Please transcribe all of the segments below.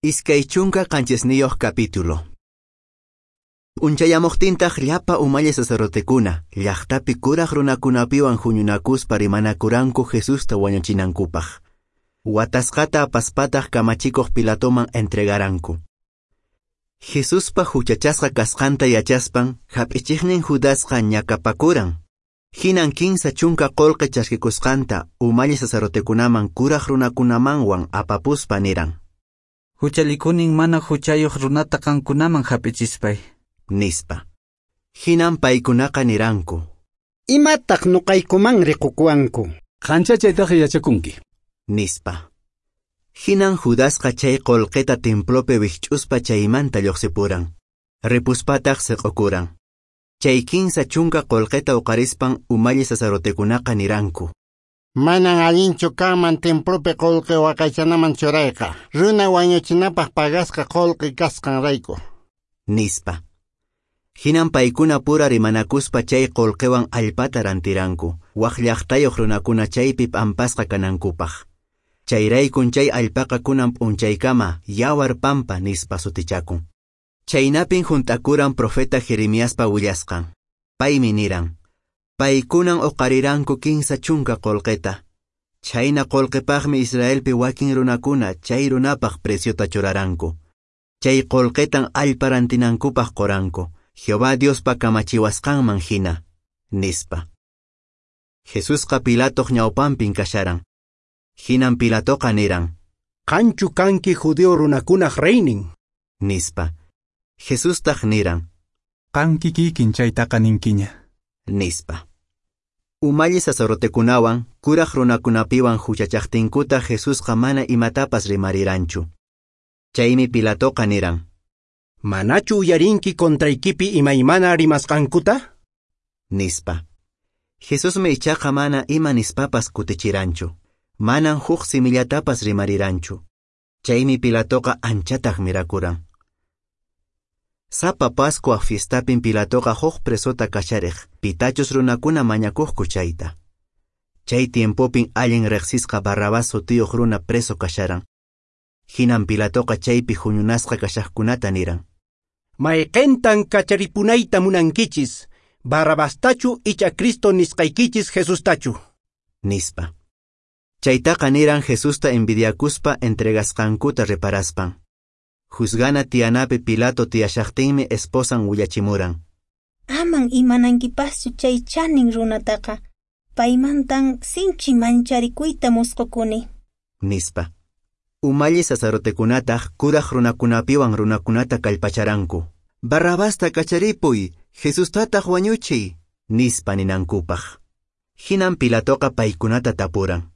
27 capítulo. P'unchayamuqtintaq llapa umalli sacerdotekuna, llaqtapi kuraq runakunapiwan huñunakuspa rimanakuranku Jesusta wañuchinankupaq. Watasqata apaspataq kamachikuq Pilatoman entregaranku. Jesuspa huchachasqa kasqanta yachaspan, hap'ichiqnin Judasqa ñakapakuran. Hinan 30 qolqe chaskikusqanta umalli sacerdotekunaman kuraq runakunamanwan apapuspa niran: Huchalikunin mana huchayuq runata qankunaman hap'ichispay, nispa. Hinan paykunaqa niranku: Imataq nuqaykuman riqukuwanku? Qancha chaytaqa yachakunki, nispa. Hinan Judasqa chay qolqeta templopi wikch'uspa chaymanta lluqsipuran. Ripuspataq siq'ukuran. Chay 30 qolqeta uqarispan umalli sacerdotekunaqa niranku: Manan allinchu kanman templopi qolqe waqaychanaman churayqa, runa wañuchinapaq pagasqa qolqe kasqanrayku, nispa. Hinan paykuna pura rimanakuspa chay qolqewan allpata rantiranku, waq llaqtayuq runakuna chaypi p'ampasqa kanankupaq. Chayraykun chay allpaqa kunan p'unchaykama yawar pampa nispa sutichakun. Chaynapin hunt'akuran profeta Jeremiaspa willasqan. Paymi niran: Paykunan uqariranku 30 qolqeta. Chayna qolqepaqmi Israelpi wakin runakuna chay runapaq preciota churaranku. Chay qolqetan allpa rantinankupaq qoranku, Jehová Diospa kamachiwasqanman hina, nispa. Jesusqa Pilatoq ñawpanpin kasharan. Hinan Pilatoqa niran: Qanchu kanki judío runakunaq reynin, nispa. Jesustaq niran: Qanki kikin chaytaqa ninkiña, nispa. Umalli sacerdotekunawan, kuraq runakunapiwan huchachaqtinkuta Jesusqa mana imatapas rimariranchu. Chaymi Pilatoqa niran: Manachu uyarinki contraykipi imaymana rimasqankuta? Nispa. Jesusmi ichaqa mana ima nispapas kutichiranchu. Manan huk simillatapas rimariranchu. Chaymi Pilatoqa anchataq mirakuran. Sapa Pascua fiestapin Pilatoqa huk presota kachariq, pitachus runakuna mañakuqku chayta. Chay tiempopin allin riqsisqa Barrabás sutiyuq runa preso kasharan. Hinan Pilatoqa chaypi huñunasqa kashaqkunata niran: Mayqintan kacharipunayta munankichis, Barrabastachu icha Cristo nisqaykichis Jesustachu, nispa. Chaytaqa niran Jesusta envidiakuspa entregasqankuta reparaspan. Juzgana tiyanapi Pilato tiyashaqtinmi esposan willachimuran: Aman imanankipaschu chay chanin runataqa, paymantan sinchi mancharikuyta musqukuni, nispa. Umalli sacerdotekunataq kuraq runakunapiwan runakunata kallpacharanku: Barrabasta kacharipuy, Jesustataq wañuchiy, nispa ninankupaq. Hinan Pilatoqa paykunata tapuran: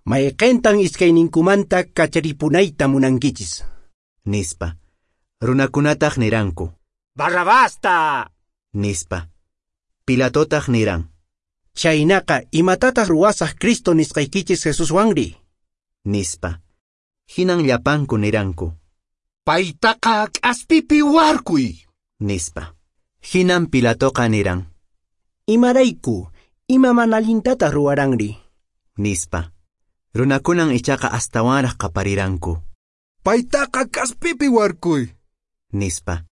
Mayqintan iskayninkumanta kacharipunayta munankichis, nispa. Runakunataq niranku: Barrabasta, nispa. Pilatotaq niran: Chaynaqa imatataq ruwasaq Cristo nisqaykichis Jesuswanri, nispa. Hinan llapanku niranku: Paytaqa k'aspipi warkuy, nispa. Hinan Pilatoqa niran: Imarayku, ima mana allintataq ruwaranri, nispa. Runakunan ichaqa astawanraq qapariranku: Paytaqa k'aspipi warkuy, nispa.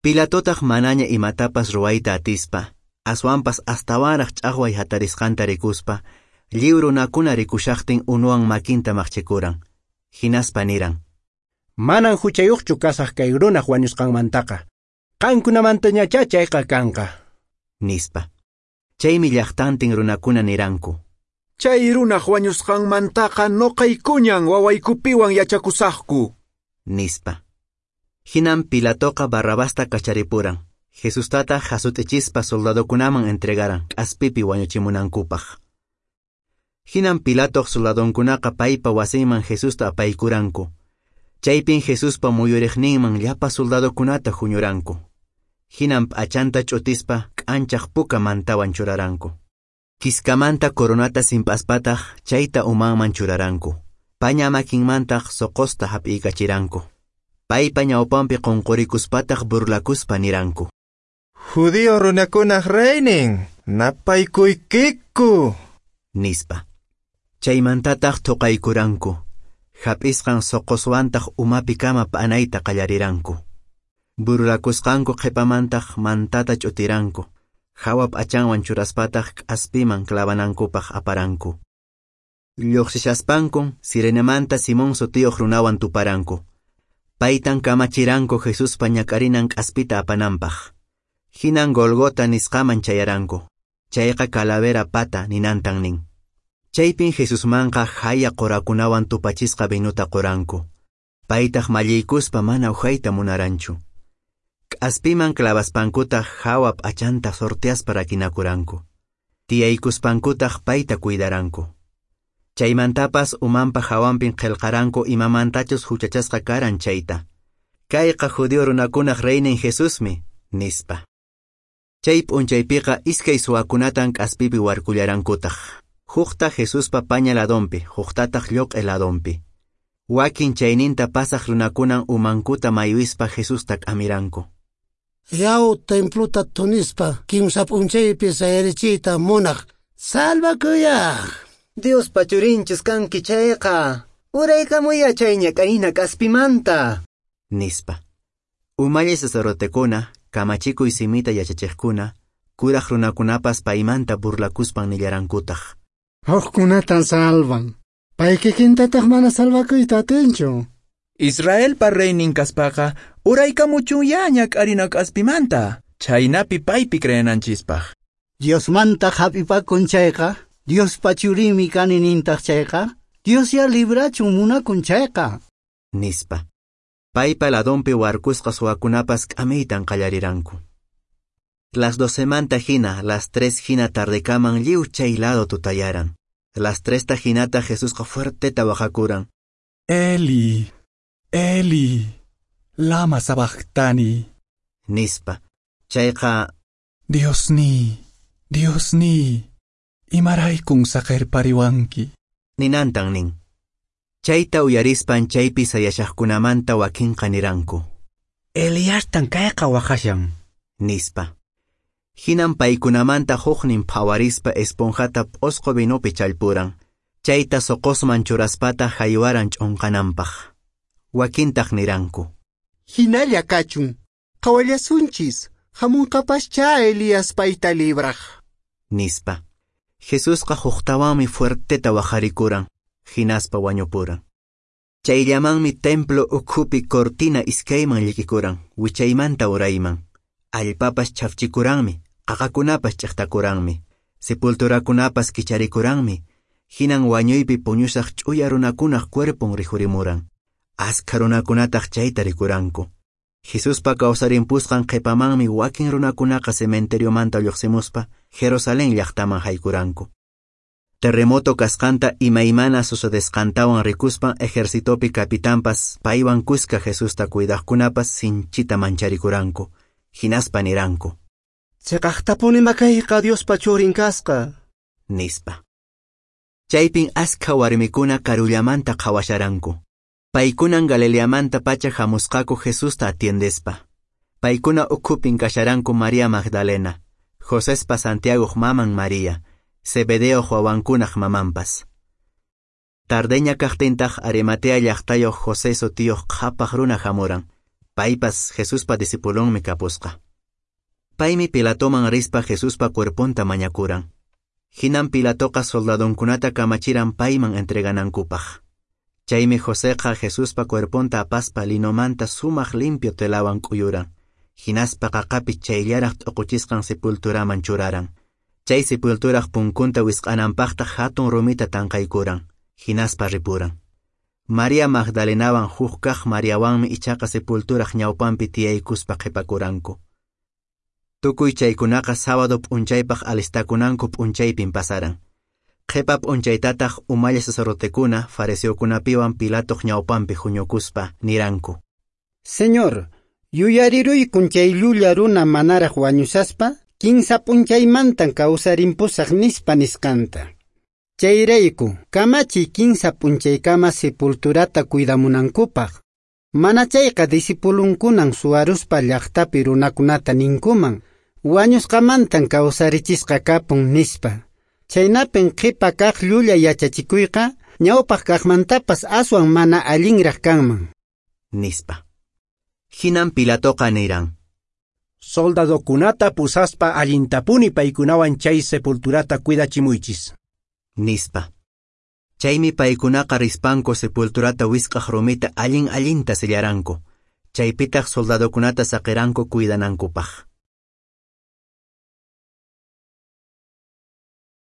Pilatotaq manaña imatapas ruwayta atispa, aswanpas astawanraq ch'aqway hatarisqanta rikuspa, lliw runakuna rikushaqtin unuwan makinta maqchikuran. Hinaspa niran: Manan huchayuqchu kasaq kay runaq wañusqanmantaqa. Qankunamantañachá chayqa kanqa, nispa. Chaymi llaqtantin runakuna niranku: Chay runaq wañusqanmantaqa nuqaykuñan wawaykupiwan yachakusaqku, nispa. Hinan Pilatoqa Barrabasta kacharipuran. Jesustataq hasut'ichispa soldadokunaman entregaran k'aspipi wañuchimunankupaq. Hinan Pilatoq soldadonkunaqa paypa wasinman Jesusta apaykuranku. Chaypin Jesuspa muyuriqninman llapa soldadokunata huñuranku. Hinan p'achanta ch'utispa k'anchaq puka mantawan churaranku. Kiskamanta coronata simp'aspataq chayta umanman churaranku. Paña makinmantaq soqosta hap'iykachiranku. Paypa ñawpanpi qunqurikuspataq burlakuspa niranku: Judío runakunaq reynin, napaykuykiku, nispa. Chaymantataq thuqaykuranku. Hap'isqan soqoswantaq umapikama p'anayta qallariranku. Burlakusqanku qhipamantaq mantata ch'utiranku. Hawa p'achanwan churaspataq k'aspiman clavanankupaq aparanku. Lluqsishaspankun Cirenemanta Simón sutiyuq runawan tuparanku. Paytan kamachiranku Jesuspa ñak'arinan k'aspita apananpaq. Hinan Golgota nisqaman chayaranku. Chayqa calavera pata ninantan nin. Chaypin Jesusmanqa haya qurakunawan tupachisqa vinuta quranku. Paytaq malliykuspa mana ujayta munaranchu. K'aspiman clavaspankutaq hawa p'achanta sorteaspa rakinakuranku. Tiyaykuspankutaq payta cuidaranku. Chaymantapas umanpa hawanpin qillqaranku imamantachus huchachasqa karan chayta. Kayqa judío runakunaq reynin Jesusmi, nispa. Chay p'unchaypiqa iskay suwakunatan k'aspipi warkullarankutaq. Hukta Jesuspa paña ladonpi, huktataq lluq'i ladonpi. Wakin chayninta pasaq runakunan umankuta maywispa Jesusta k'amiranku. Yaw templuta tunispa kimsa p'unchaypi sayarichiyta munaq salvakuyaq. Diospa churinchus kanki chayqa, uraykamuya chay ñak'arina k'aspimanta, nispa. Umalli sacerdotekuna, kamachikuy simita yachachiqkuna, kuraq runakunapas paymanta burlakuspan nillarankutaq. Hukkunatan salvan. Pay kikintataq mana salvakuyta atinchu. Israelpa reynin kaspaqa uraykamuchunya ñak'arina k'aspimanta, chhaynapi paypi creenanchispaq. Diosmanta hap'ipakun chayqa, Diospa churinmi kani nintaq chayqa, Diosya librachun munakun chayqa, nispa. Paypa ladonpi warkusqa suwakunapas k'amiytan qallariranku. Las 12manta hina, las 3 hina tardekaman lliw chay lado tutayaran. Las 3ta hinata Jesusqa fuerteta waqakuran. Eli, Eli, lama sabachthani, nispa. Chayqa Diosniy, Diosniy, imaraykun saqerpariwanki, ninantan nin. Chayta uyarispan chaypi sayashaqkunamanta wakinqa niranku. Eliastan kayqa waqashan, nispa. Hinan paykunamanta huknin phawarispa esponjata p'osqo vinopi challpuran. Chayta soqosman churaspata haywaran ch'unqananpaq. Wakintaq niranku. Hinalla kachun, qhawallasunchis, hamunqapaschá Elías payta libraq, nispa. Jesusqa huktawanmi fuerteta waqarikuran, hinaspa wañupuran. Chayllamanmi templo ukhupi cortina iskayman llikikuran, wichaymanta urayman. Allpapas chafchikuranmi, qaqakunapas ch'aqtakuranmi, sepulturakunapas kicharikuranmi, hinan wañuypi puñushaq ch'uya runakunaq cuerpon rikhurimuran. Askha runakunataq chayta rikuranku. Jesuspa kawsarimpusqan qhipamanmi wakin runakunaqa cementeriomanta lluqsimuspa Jerusalén llaqtaman haykuranku. Terremoto kasqanta imaymana sucedesqantawan rikuspan ejercitopi capitanpas paywan kuska Jesusta cuidaqkunapas sinchita mancharikuranku. Hinaspa niranku. Chiqaqtapuni makayqa Diospa churin kasqa, nispa. Chaypin askha warmikuna karullamanta qhawasharanku. Paykunan Galileamanta pacha hamusqaku Jesusta atiendespa. Paykuna ukhupin kasharanku María Magdalena, Josespa Santiagoq maman María, Zebedeoq wawankunaq mamanpas. Tardeña kaqtintaq Arimatea llaqtayuq José sutiyuq qhapaq runa hamuran. Paypas Jesuspa discipulonmi kapusqa. Paymi Pilatoman rispa Jesuspa cuerponta mañakuran. Hinan Pilatoqa soldadonkunata kamachiran payman entreganankupaq. Chaymi Joseqa Jesuspa cuerponta apaspa linomanta sumaq limpio telawan k'uyuran. Hinaspa qaqapi chayllaraq t'uquchisqan sepulturaman churaran. Chay sepulturaq punkunta wisq'ananpaqtaq hatun rumita tanqaykuran. Hinaspa ripuran. María Magdalenawan huk kaq Mariawanmi ichaqa sepulturaq ñawpanpi tiyaykuspa qhipakuranku. Tukuy chaykunaqa sábado p'unchaypaq alistakunanku p'unchaypin pasaran. Qhipa p'unchaytataq umalli sacerdotekuna fariseokunapiwan Pilatoq ñawpanpi huñukuspa niranku. Señor, yuyariruykun chay llulla runa manaraq wañushaspa, kinsa p'unchaymantan kawsarimpusaq nispa nisqanta. Chayrayku, kamachiy kinsa p'unchaykama sepulturata cuidamunankupaq. Mana chayqa discipulunkunan suwaruspa llaqtapi runakunata ninkuman, wañusqamantan kawsarichisqa kapun nispa. Chaynapin qhipa kaq llulla yachachikuyqa ñawpaq kaqmantapas aswan mana allinraq kanman. Nispa. Hinan Pilatoqa niran. Soldadokunata pusaspa allintapuni paykunawan chay sepulturata cuidachimuychis. Nispa. Chaymi paykunaqa rispanku sepulturata wisq'aq rumita allin allinta sellaranku. Chaypitaq soldadokunata saqiranku cuidanankupaq.